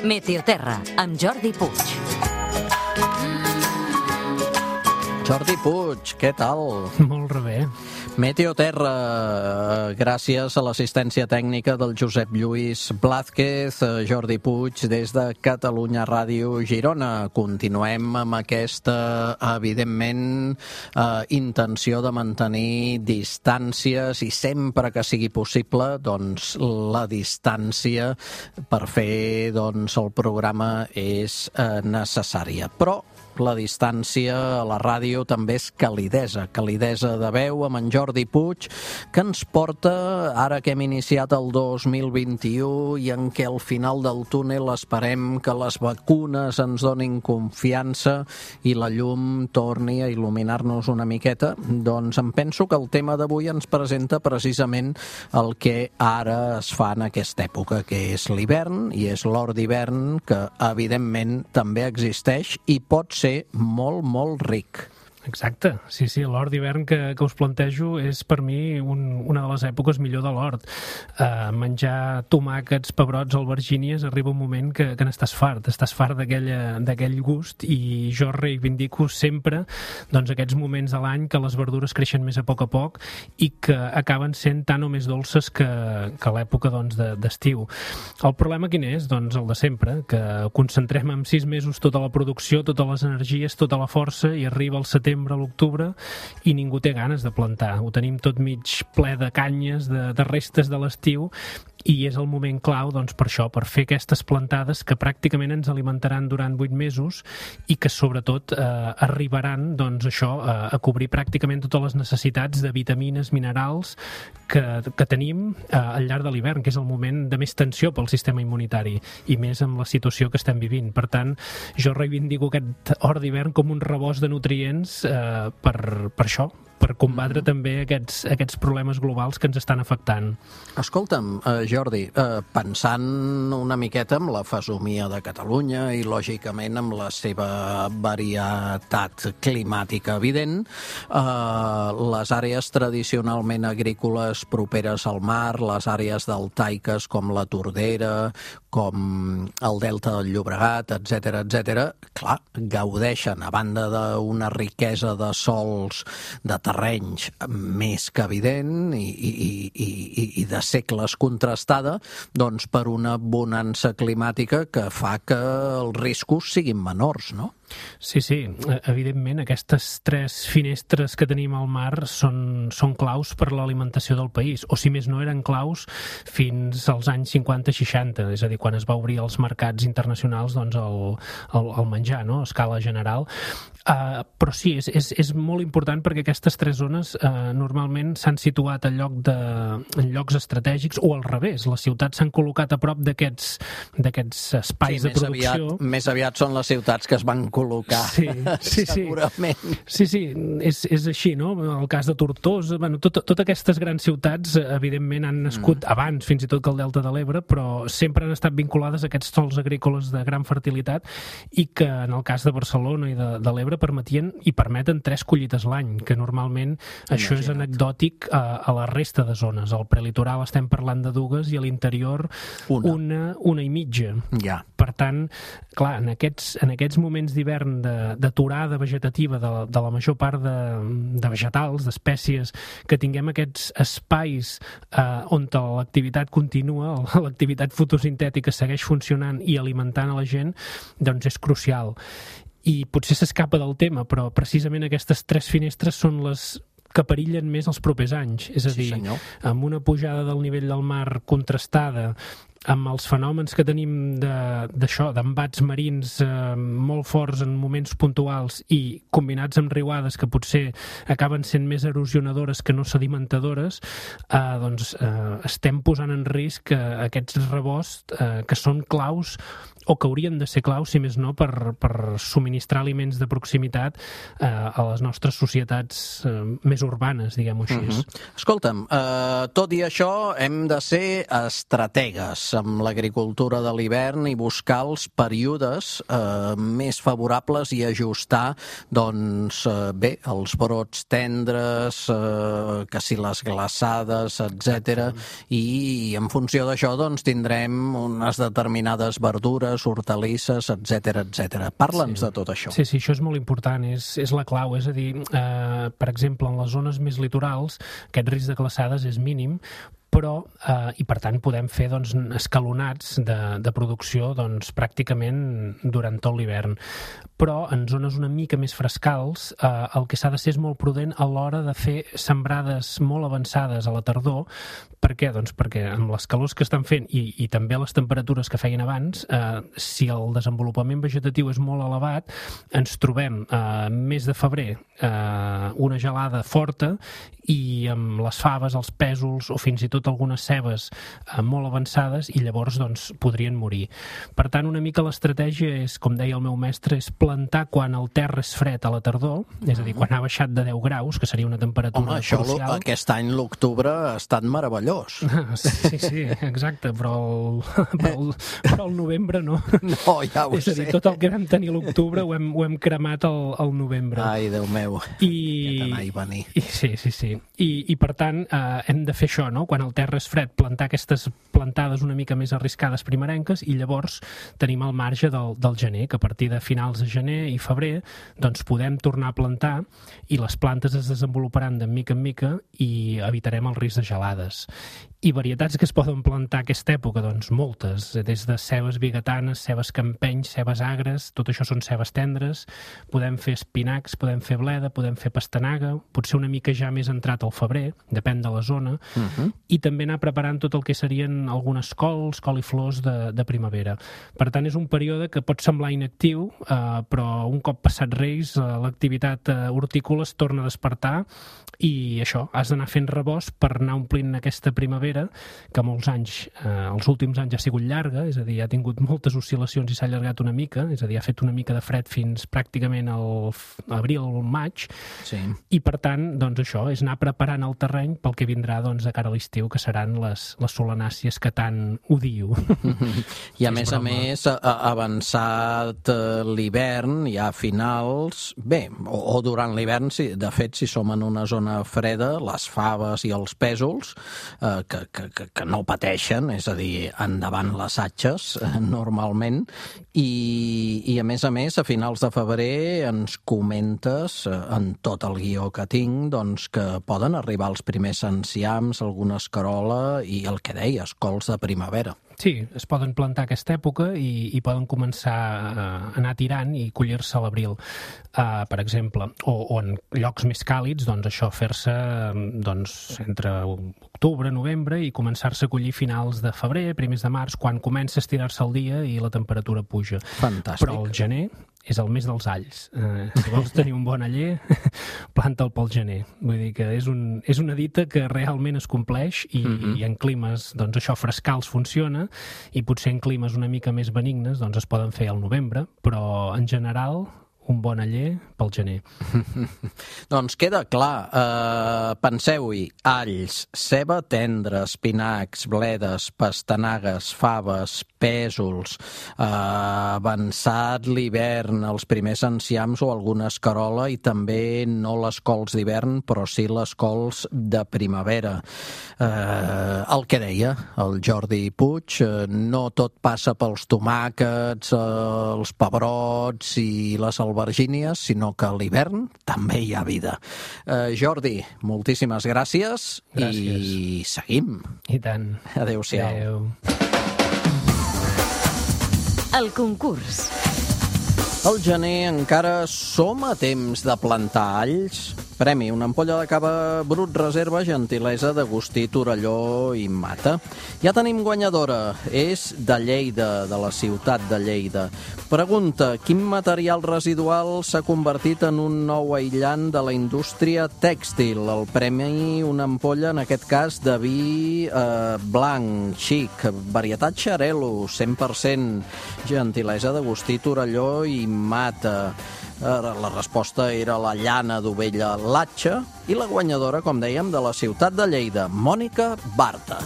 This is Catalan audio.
Meteoterra, amb Jordi Puig. Jordi Puig, què tal? Molt bé. Meteoterra, gràcies a l'assistència tècnica del Josep Lluís Blázquez, Jordi Puig, des de Catalunya Ràdio Girona. Continuem amb aquesta, evidentment, intenció de mantenir distàncies i sempre que sigui possible, doncs, la distància per fer el programa és necessària. Però la distància a la ràdio també és calidesa de veu amb en Jordi Puig, que ens porta, ara que hem iniciat el 2021 i en què al final del túnel esperem que les vacunes ens donin confiança i la llum torni a il·luminar-nos una miqueta, doncs em penso que el tema d'avui ens presenta precisament el que ara es fa en aquesta època, que és l'hivern, i és l'hort d'hivern, que evidentment també existeix i pot ser molt, molt ric. Exacte, sí, l'hort d'hivern que us plantejo és per mi una de les èpoques millor de l'hort. Menjar tomàquets, pebrots, albergínies, arriba un moment que n'estàs fart d'aquell gust, i jo reivindico sempre aquests moments de l'any que les verdures creixen més a poc i que acaben sent tan o més dolces que l'època d'estiu. El problema quin és? Doncs el de sempre, que concentrem en 6 mesos tota la producció, totes les energies, tota la força, i arriba el setembre, a l'octubre, i ningú té ganes de plantar. Ho tenim tot mig ple de canyes, de restes de l'estiu, i és el moment clau per això, per fer aquestes plantades que pràcticament ens alimentaran durant 8 mesos i que sobretot arribaran a cobrir pràcticament totes les necessitats de vitamines, minerals que tenim al llarg de l'hivern, que és el moment de més tensió pel sistema immunitari, i més amb la situació que estem vivint. Per tant, jo reivindico aquest hort d'hivern com un rebost de nutrients per això, per combatre també aquests problemes globals que ens estan afectant. Escolta'm, Jordi, pensant una miqueta en la fesomia de Catalunya i, lògicament, amb la seva varietat climàtica evident, les àrees tradicionalment agrícoles properes al mar, les àrees deltaiques com la Tordera, com el Delta del Llobregat, etc., clar, gaudeixen, a banda d'una riquesa de sòls, de terrenys més que evident i de segles contrastada, doncs per una bonança climàtica que fa que els riscos siguin menors, no? Sí, evidentment aquestes 3 finestres que tenim al mar són claus per l'alimentació del país, o si més no eren claus fins als anys 50-60, és a dir, quan es va obrir als mercats internacionals el menjar, no?, a escala general. Però sí, és molt important perquè aquestes 3 zones normalment s'han situat en llocs estratègics, o al revés, les ciutats s'han col·locat a prop d'aquests espais de producció. Més aviat són les ciutats que es van col·locar, segurament. Sí, és així, no? El cas de Tortosa, totes aquestes grans ciutats, evidentment, han nascut abans, fins i tot que el Delta de l'Ebre, però sempre han estat vinculades a aquests sòls agrícoles de gran fertilitat, i que en el cas de Barcelona i de l'Ebre permetien i permeten 3 collites l'any, que normalment això és anecdòtic a la resta de zones. Al prelitoral estem parlant de 2 i a l'interior una i mitja. Ja. Per tant, clar, en aquests moments d'hivern d'aturada vegetativa de la major part de vegetals, d'espècies, que tinguem aquests espais on l'activitat continua, l'activitat fotosintètica segueix funcionant i alimentant a la gent, doncs és crucial. I potser s'escapa del tema, però precisament aquestes 3 finestres són les que perillen més els propers anys. És a dir, amb una pujada del nivell del mar contrastada, amb els fenòmens que tenim d'embats marins molt forts en moments puntuals i combinats amb riuades que potser acaben sent més erosionadores que no sedimentadores, doncs estem posant en risc aquests rebosts que són claus, o que haurien de ser claus, si més no, per subministrar aliments de proximitat a les nostres societats més urbanes, diguem-ho així. Escolta'm, tot i això hem de ser estrategues amb l'agricultura de l'hivern i buscar els períodes més favorables i ajustar, doncs, bé, els brots tendres, que si les glaçades, etc. I en funció d'això, doncs, tindrem unes determinades verdures, verdures, hortalisses, etc. Parla'ns de tot això. Sí, això és molt important, és la clau, és a dir, per exemple, en les zones més litorals aquest risc de glaçades és mínim, però, i per tant podem fer escalonats de producció pràcticament durant tot l'hivern. Però en zones una mica més frescals el que s'ha de ser és molt prudent a l'hora de fer sembrades molt avançades a la tardor. Per què? Doncs perquè amb les calors que estan fent i també les temperatures que feien abans, si el desenvolupament vegetatiu és molt elevat, ens trobem mes de febrer una gelada forta i amb les faves, els pèsols o fins i tot algunes cebes molt avançades i llavors podrien morir. Per tant, una mica l'estratègia és, com deia el meu mestre, és plantar quan el terra és fred a la tardor, és a dir, quan ha baixat de 10 graus, que seria una temperatura crucial. Aquest any l'octubre ha estat meravellós. Sí, exacte, però el novembre no. No, ja ho sé. És a dir, tot el que vam tenir a l'octubre ho hem cremat al novembre. Ai, Déu meu, aquest anar i venir. Sí. I per tant, hem de fer això, no? Quan el terra és fred, plantar aquestes plantades una mica més arriscades primerenques i llavors tenim el marge del gener, que a partir de finals de gener i febrer podem tornar a plantar i les plantes es desenvoluparan de mica en mica i evitarem el risc de gelades. I varietats que es poden plantar aquesta època, moltes, des de cebes biguetanes, cebes campenys, cebes agres, tot això són cebes tendres, podem fer espinacs, podem fer bleda, podem fer pastanaga, potser una mica ja més entrat al febrer, depèn de la zona, i també anar preparant tot el que serien algunes cols, coliflors de primavera. Per tant, és un període que pot semblar inactiu, però un cop passat Reis, l'activitat hortícola es torna a despertar i això, has d'anar fent rebost per anar omplint aquesta primavera, que molts anys, els últims anys ha sigut llarga, és a dir, ha tingut moltes oscil·lacions i s'ha allargat una mica, és a dir, ha fet una mica de fred fins pràcticament al abril o al maig, i per tant, això, és anar preparant el terreny pel que vindrà de cara a l'estiu, que seran les solanàcies que tant odio. I a més, avançat l'hivern, ja a finals, o durant l'hivern, de fet, si som en una zona freda, les faves i els pèsols, que no pateixen, és a dir, endavant les atxes, normalment, i a més, a finals de febrer ens comentes, en tot el guió que tinc, que poden arribar els primers enciams, alguna escarola i el que deies, cols de primavera. Sí, es poden plantar aquesta època i poden començar a anar tirant i collir-se a l'abril, per exemple, o en llocs més càlids, això, fer-se entre octubre, novembre i començar-se a collir finals de febrer, primers de març, quan comença a estirar-se el dia i la temperatura puja. Fantàstic. Però el gener és el mes dels alls. Si vols tenir un bon aller, planta'l pel gener. Vull dir que és una dita que realment es compleix i en climes, això, frescals funciona, i potser en climes una mica més benignes es poden fer al novembre, però en general un bon aller pel gener. Doncs queda clar. Penseu-hi, alls, ceba tendra, espinacs, bledes, pastanagues, faves, pèsols, avançat l'hivern, els primers enciams o alguna escarola, i també no les cols d'hivern, però sí les cols de primavera. El que deia el Jordi Puig, no tot passa pels tomàquets, els pebrots i les albergínies, sinó que a l'hivern també hi ha vida. Jordi, moltíssimes gràcies. I seguim. I tant. Adéu-siau. Adéu. El concurs. Al gener encara som a temps de plantar alls. Premi, una ampolla de cava brut reserva, gentilesa d'Agustí Torelló i Mata. Ja tenim guanyadora, és de Lleida, de la ciutat de Lleida. Pregunta, quin material residual s'ha convertit en un nou aïllant de la indústria tèxtil? El premi, una ampolla, en aquest cas, de vi blanc, xic, varietat Xarel·lo, 100%, gentilesa d'Agustí Torelló i Mata. La resposta era la llana d'ovella Latxa i la guanyadora, com dèiem, de la ciutat de Lleida, Mònica Barta.